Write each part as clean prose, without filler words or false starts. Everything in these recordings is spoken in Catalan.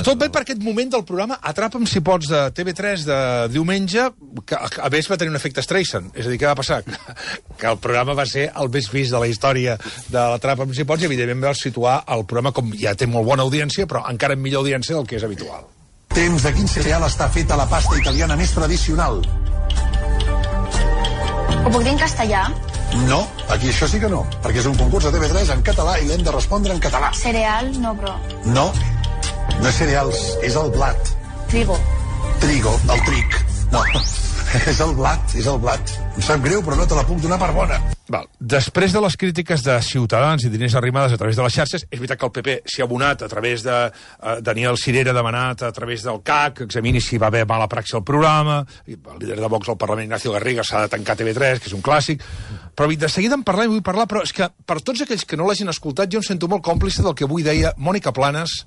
Tot bé per aquest moment del programa Atrapa'm si pots de TV3 de diumenge, que a més va tenir un efecte Streisand. És a dir, què va passar? Que el programa va ser el més vist de la història de l'Atrapa'm si pots i evidentment va situar el programa com ja té molt bona audiència, però encara amb millor audiència del que és habitual. Temps de quin cereal està feta la pasta italiana més tradicional? Ho puc dir en castellà? No, aquí això sí que no, perquè és un concurs de TV3 en català i l'hem de respondre en català. Cereal? No, però... No, no és cereals, és el blat. Trigo. Trigo, el tric. No, és el blat, és el blat. Em sap greu, però no te la puc donar per bona. Val. Després de les crítiques de Ciutadans i d'Inés Arrimadas a través de les xarxes, és veritat que el PP s'hi ha abonat a través de Daniel Sirera, demanat a través del CAC, que examini si va haver mala praxi al programa, i el líder de Vox al Parlament, Ignacio Garriga, s'ha de tancar TV3, que és un clàssic, però de seguida en parlem, vull parlar, però és que per tots aquells que no l'hagin escoltat, jo em sento molt còmplice del que avui deia Mònica Planes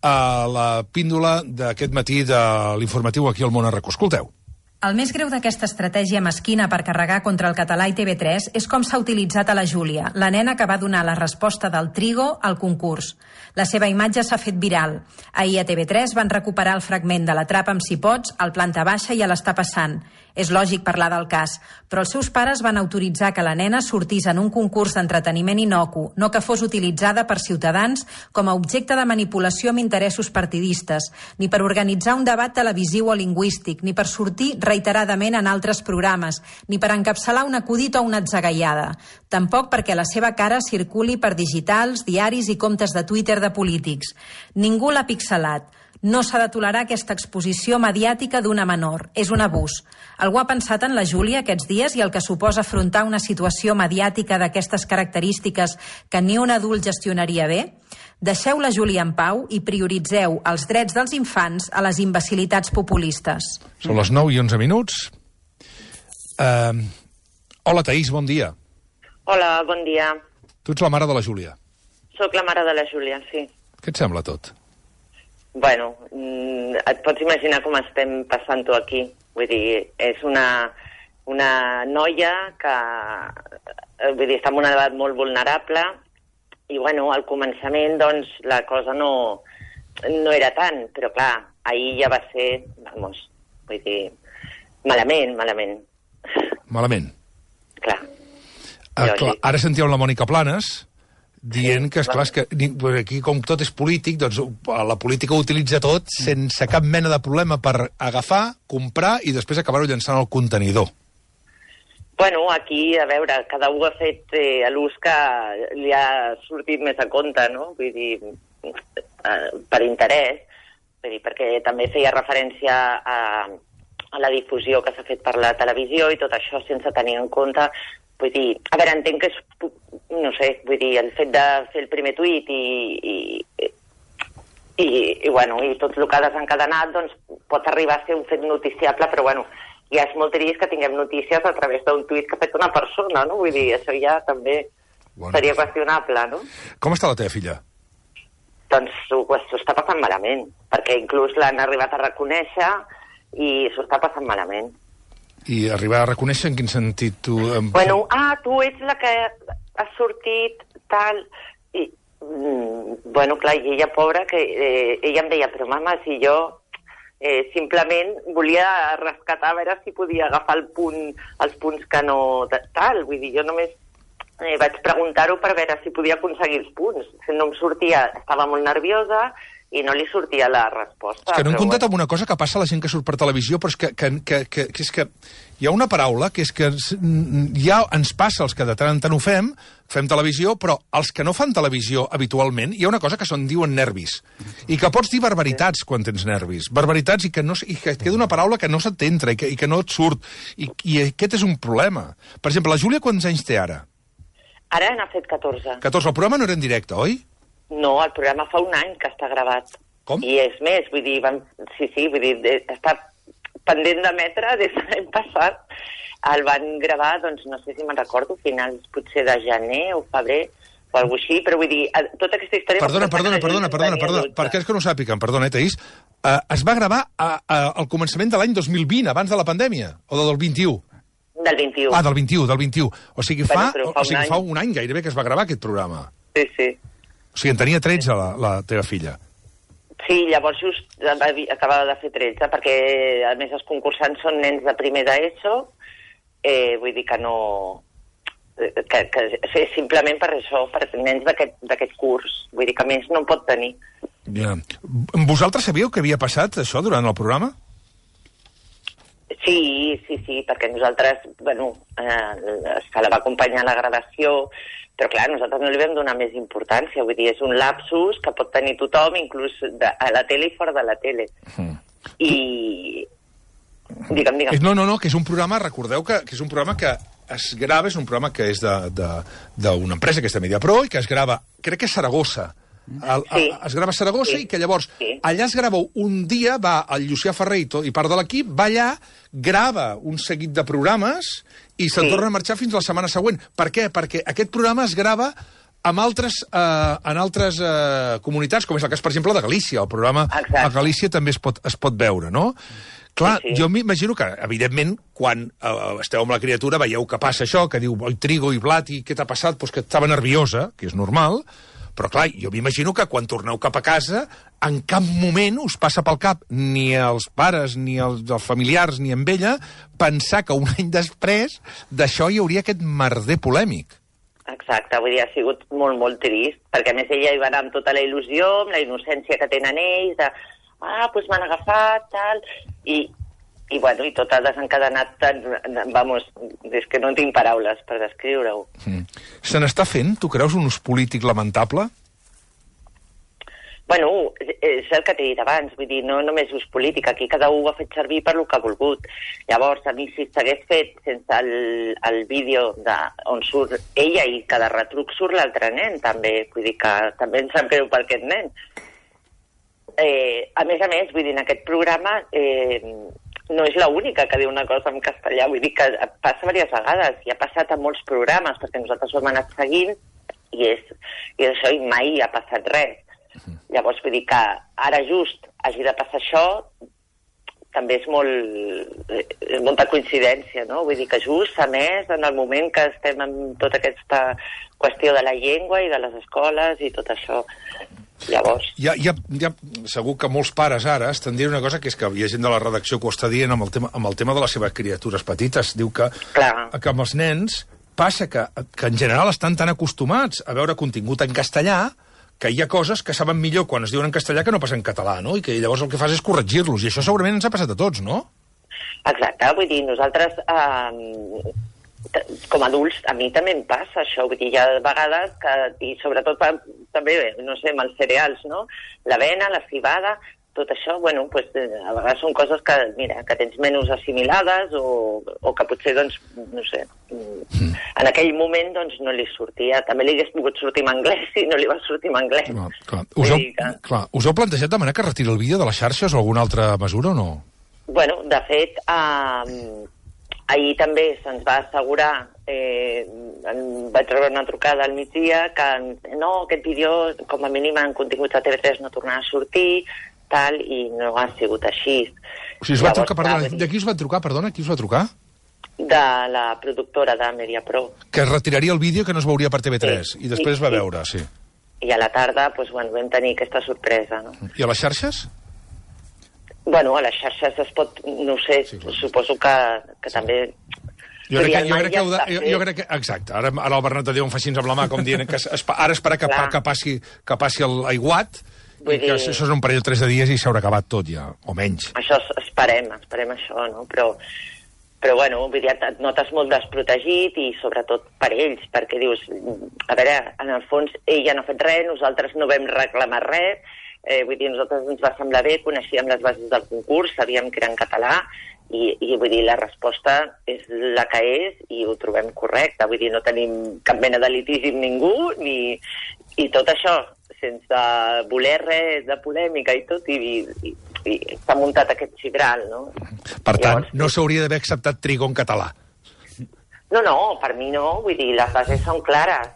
a la píndola d'aquest matí de l'informatiu aquí al Món Arracó. Escolteu. El més greu d'aquesta estratègia mesquina per carregar contra el català i TV3 és com s'ha utilitzat a la Júlia, la nena que va donar la resposta del Trigo al concurs. La seva imatge s'ha fet viral. Ahir a TV3 van recuperar el fragment de l'Atrapa'm si pots, al planta baixa i a l'Està passant. És lògic parlar del cas, però els seus pares van autoritzar que la nena sortís en un concurs d'entreteniment innocu, no que fos utilitzada per Ciutadans com a objecte de manipulació amb interessos partidistes, ni per organitzar un debat televisiu o lingüístic, ni per sortir reiteradament en altres programes, ni per encapçalar un acudit o una atzagaiada. Tampoc perquè la seva cara circuli per digitals, diaris i comptes de Twitter de polítics. Ningú l'ha pixelat. No s'ha de tolerar aquesta exposició mediàtica d'una menor. És un abús. Algú ha pensat en la Júlia aquests dies i el que suposa afrontar una situació mediàtica d'aquestes característiques que ni un adult gestionaria bé? Deixeu la Júlia en pau i prioritzeu els drets dels infants a les imbecilitats populistes. Són les 9 i 11 minuts. Hola, Taís, bon dia. Hola, bon dia. Tu ets la mare de la Júlia. Soc la mare de la Júlia, sí. Què et sembla tot? Bueno, et pots imaginar com estem passant-ho aquí. Vull dir, és una noia que està en una edat molt vulnerable i, bueno, al començament, doncs, la cosa no era tant, però, clar, ahir ja va ser, vamos, vull dir, malament. Malament? Clar. Clar, ara sentíem la Mònica Planes dient que, esclar, que aquí com tot és polític, doncs la política ho utilitza tot sense cap mena de problema per agafar, comprar i després acabar-ho llançant al contenidor. Bueno, aquí, a veure, cada un ha fet l'ús que li ha sortit més a compte, no? Vull dir, per interès, vull dir, perquè també feia referència a la difusió que s'ha fet per la televisió i tot això sense tenir en compte. Vull dir, a veure, entenc que és, no sé, vull dir, el fet de fer el primer tuit i tot el que ha desencadenat, doncs pot arribar a ser un fet noticiable, però bueno, ja és molt trist que tinguem notícies a través d'un tuit que ha fet una persona, no? Vull dir, això ja també seria qüestionable, no? Com està la teva filla? Doncs s'ho està passant malament, perquè inclús l'han arribat a reconèixer i s'ho està passant malament. I arribar a reconèixer en quin sentit tu... Bueno, tu ets la que has sortit tal... I, bueno, clar, i ella, pobra, que ella em deia, però mama, si jo simplement volia rescatar, a veure si podia agafar els punts que no... Tal, vull dir, jo només vaig preguntar-ho per veure si podia aconseguir els punts. No em sortia, estava molt nerviosa i no li sortia la resposta. És que no hem comptat amb una cosa que passa a la gent que surt per televisió, però és que és que hi ha una paraula que és que ja ens passa els que de tant en tant ho fem televisió, però els que no fan televisió habitualment, hi ha una cosa que se'n diuen nervis, i que pots dir barbaritats quan tens nervis, barbaritats i que et queda una paraula que no se't entra i que no et surt, i aquest és un problema. Per exemple, la Júlia quants anys té ara? Ara n'ha fet 14. 14, el programa no era en directe, oi? No, el programa fa un any que està gravat. Com? I és més, vull dir, vull dir, està pendent d'emetre des de l'any passat. El van gravar, doncs, no sé si me'n recordo, finals potser de gener o febrer, o alguna així, però vull dir, tota aquesta història... Perdona, per aquells que no sàpiguen, perdona, Taís, es va gravar al començament de l'any 2020, abans de la pandèmia, o del 21? Del 21. Ah, del 21. O sigui, fa un any gairebé que es va gravar aquest programa. Sí. O sigui, en tenia 13 la teva filla. Sí, llavors just acabava de fer 13, perquè a més els concursants són nens de primer d'ESO, vull dir que no... que simplement per això, per nens d'aquest curs, vull dir que més no en pot tenir. Ja. Vosaltres sabíeu què havia passat, això, durant el programa? Sí, perquè nosaltres, bueno, se la va acompanyar la gravació, però clar, nosaltres no li vam donar més importància, vull dir, és un lapsus que pot tenir tothom, inclús a la tele i fora de la tele. I... Digue'm. No, que és un programa, recordeu que és un programa que es grava, és un programa que és d'una empresa que és de Mediapro i que es grava, crec que a Saragossa. Es grava a Saragossa i que llavors allà es grava un dia, va el Llucià Ferrer i part de l'equip, va allà, grava un seguit de programes i se'n torna a marxar fins la setmana següent. Per què? Perquè aquest programa es grava en altres comunitats, com és el cas, per exemple, de Galícia. El programa a Galícia també es pot veure, no? Clar, jo m'imagino que, evidentment, quan esteu amb la criatura veieu que passa això, que diu, oi, Trigo i Blat, i què t'ha passat? Doncs que estava nerviosa, que és normal, però clar, jo m'imagino que quan torneu cap a casa, en cap moment us passa pel cap, ni als pares, ni als familiars, ni amb ella, pensar que un any després d'això hi hauria aquest merder polèmic. Exacte, vull dir, ha sigut molt, molt trist, perquè a més ella hi va anar amb tota la il·lusió, amb la innocència que tenen ells, de, doncs m'han agafat, tal, i bueno, i tot ha desencadenat tant, vamos, és que no tinc paraules per descriure-ho. Se n'està fent, tu creus, un ús polític lamentable? Bueno, és el que t'he dit abans, vull dir, no només ús polític, aquí cada un ho ha fet servir per lo que ha volgut. Llavors, a mi si s'hagués fet sense el vídeo on surt ella i cada retruc surt l'altre nen, també, vull dir que també em sap greu per aquest nen. A més, vull dir, en aquest programa no és l'única que diu una cosa en castellà, vull dir que passa diverses vegades, i ha passat a molts programes, perquè nosaltres ho hem anat seguint, i això i mai ha passat res. Llavors, vull dir que ara just hagi de passar això, també és molta coincidència, no? Vull dir que just, a més, en el moment que estem amb tota aquesta qüestió de la llengua i de les escoles i tot això. Llavors... Segur que molts pares ara estan dient una cosa, que és que hi ha gent de la redacció que ho està dient amb el tema de les seves criatures petites. Diu que amb els nens passa que en general estan tan acostumats a veure contingut en castellà que hi ha coses que saben millor quan es diuen en castellà que no passen en català, no? I que llavors el que fas és corregir-los, i això segurament ens ha passat a tots, no? Exacte, vull dir, nosaltres... com a adults, a mi també em passa això, vull dir, hi ha vegades que, i sobretot també, no sé, amb els cereals, no? L'avena, la cibada, tot això, bueno, pues, a vegades són coses que, mira, que tens menys assimilades o que potser, doncs, no sé, en aquell moment, doncs, no li sortia. També li hagués pogut sortir en anglès i no li va sortir en anglès. Clar. Us heu plantejat de manera que retiri el vídeo de les xarxes o alguna altra mesura o no? Bueno, de fet, ahir també se'ns va assegurar, vaig rebre una trucada al migdia, que no, aquest vídeo, com a mínim en continguts de TV3 no tornarà a sortir, tal, i no ha sigut així. O sigui, de qui us va trucar, perdona? Qui us va trucar? De la productora de Mediapro. Que es retiraria el vídeo que no es veuria per TV3, i després va veure, sí. I a la tarda, doncs, bueno, vam tenir aquesta sorpresa, no? I a les xarxes? Bueno, a les xarxes es pot, no sé, suposo que també... Jo crec que exacte, ara el Bernat de Déu em fa així amb la mà, com dient que ara esperar que passi l'aiguat, i que això és un parell o 3 de dies i s'haurà acabat tot ja, o menys. Això esperem això, no? Però bueno, vull dir, et notes molt desprotegit i sobretot per ells, perquè dius, a veure, en el fons ella no ha fet res, nosaltres no vam reclamar res, vull dir, nosaltres ens va semblar bé, coneixíem les bases del concurs, sabíem que era en català, i vull dir, la resposta és la que és i ho trobem correcte, vull dir, no tenim cap mena de litigi amb ningú, i tot això, sense voler res de polèmica i tot, i s'ha muntat aquest xibral, no? Per tant, no s'hauria d'haver acceptat Trigo en català. No, per mi no, vull dir, les bases són clares.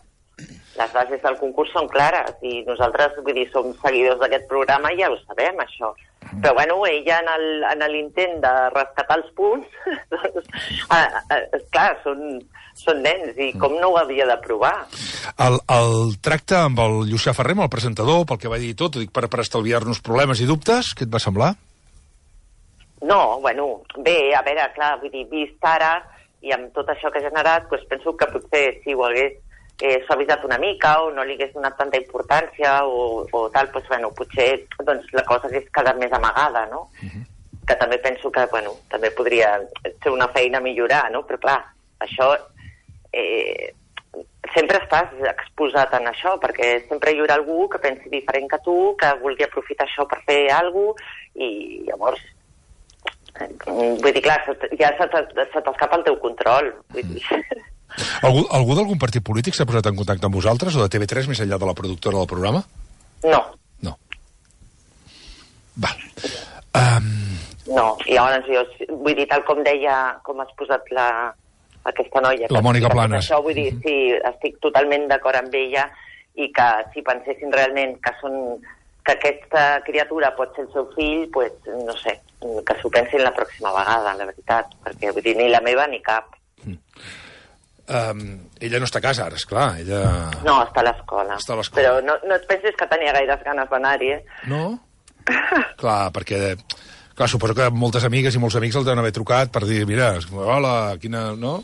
Les bases del concurs són clares i nosaltres, vull dir, som seguidors d'aquest programa i ja ho sabem, això. Però, bueno, ella en l'intent de rescatar els punts, doncs, clar, són nens, i com no ho havia de provar? El tracte amb el Llucià Ferrer, amb el presentador, pel que va dir tot, dic, per estalviar-nos problemes i dubtes, què et va semblar? No, bueno, bé, a veure, clar, vull dir, vist ara, i amb tot això que ha generat, doncs penso que potser si ho hagués suavitzat una mica o no li hagués donat tanta importància o tal, doncs, bueno, potser doncs, la cosa hagués quedat més amagada, no? Que també penso que, bueno, també podria ser una feina a millorar, no? Però, clar, això sempre estàs exposat en això, perquè sempre hi haurà algú que pensi diferent que tu, que vulgui aprofitar això per fer alguna cosa, i llavors vull dir, clar, ja se t'escapa el teu control, vull dir. Algú d'algun partit polític s'ha posat en contacte amb vosaltres, o de TV3, més enllà de la productora del programa? No. No. Val. No, i llavors jo, vull dir, tal com deia, com has posat aquesta noia... La Mònica Planes. Això, vull dir, sí, estic totalment d'acord amb ella, i que si pensessin realment que aquesta criatura pot ser el seu fill, pues, no sé, que s'ho pensin la pròxima vegada, la veritat, perquè vull dir, ni la meva ni cap. Ella no està a casa ara, esclar. Ella... No, està a l'escola. Però no et pensis que tenia gaires ganes d'anar-hi, No? Clar, perquè... Clar, suposo que moltes amigues i molts amics el deuen haver trucat per dir, mira, hola, quina... No?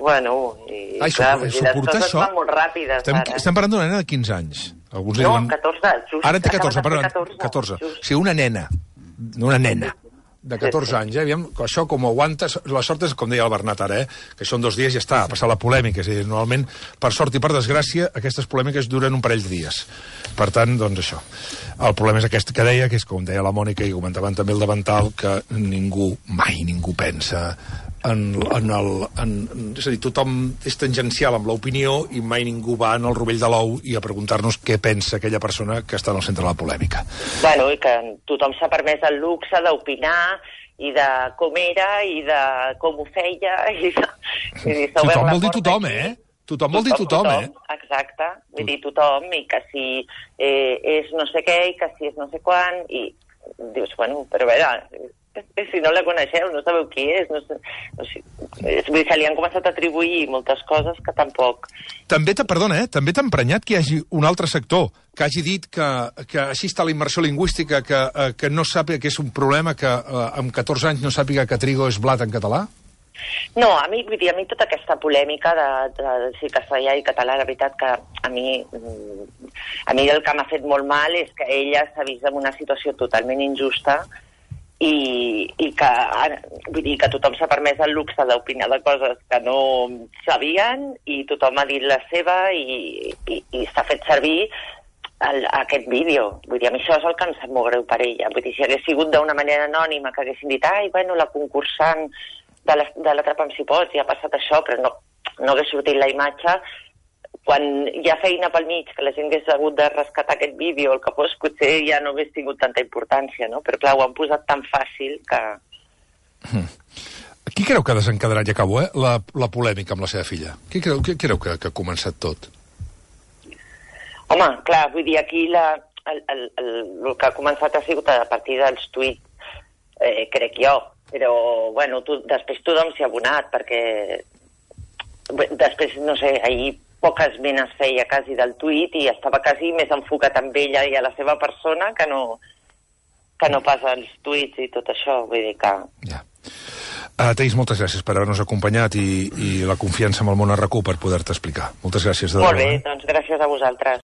Bueno, i clar, les coses van molt ràpides, ara. Estem parlant d'una nena de 15 anys. Alguns no, diuen... 14, just. Ara en té 14, perdó, 14. O sigui, una nena de 14 anys, aviam, això com ho aguantes, la sort és, com deia el Bernat ara, que són 2 dies i ja està, a passar la polèmica, és a dir, normalment, per sort i per desgràcia, aquestes polèmiques duren un parell de dies. Per tant, doncs això. El problema és aquest que deia, que és com deia la Mònica i comentaven també el davantal, que mai ningú pensa és a dir, tothom és tangencial amb l'opinió i mai ningú va en el rovell de l'ou i a preguntar-nos què pensa aquella persona que està en el centre de la polèmica. Bueno, i que tothom s'ha permès el luxe d'opinar i de com era i de com ho feia i tothom vol dir tothom, Tothom vol dir tothom, Exacte, vull dir tothom, i que si és no sé què i que si és no sé quan, i dius, bueno, però a veure, si no la coneixeu, no sabeu qui és, no sé, se li han començat a atribuir moltes coses que tampoc... També t'ha emprenyat que hi hagi un altre sector que hagi dit que així està la immersió lingüística, que no sàpiga que és un problema, que amb 14 anys no sàpiga que trigo és blat en català? No, a mi tota aquesta polèmica de si castellà i català, la veritat que a mi el que m'ha fet molt mal és que ella s'ha vist en una situació totalment injusta i que, vull dir, que tothom s'ha permès el luxe d'opinar de coses que no sabien i tothom ha dit la seva i s'ha fet servir aquest vídeo. Vull dir, a mi això és el que em sap molt greu per ella. Vull dir, si hagués sigut d'una manera anònima, que haguessin dit, bueno, la concursant de l'Atrapa'm si pots, ja ha passat això, però no hagués sortit la imatge. Quan hi ha feina pel mig, que la gent hagués hagut de rescatar aquest vídeo, el que fos, potser ja no hagués tingut tanta importància, no? Però clar, ho han posat tan fàcil que... Qui creu que ha desencadenat, ja acabo, la polèmica amb la seva filla? Qui creu que ha començat tot? Home, clar, vull dir, aquí el que ha començat ha sigut a partir dels tuits, crec jo, però, bueno, després tothom s'hi ha abonat, perquè després, no sé, ahir poques menes feia quasi del tuit i estava quasi més enfocat amb ella i a la seva persona que no pas als tuits i tot això, vull dir que... Ja. Teis, moltes gràcies per haver-nos acompanyat i la confiança amb el món RQ per poder-te explicar. Moltes gràcies. Molt bé, doncs gràcies a vosaltres.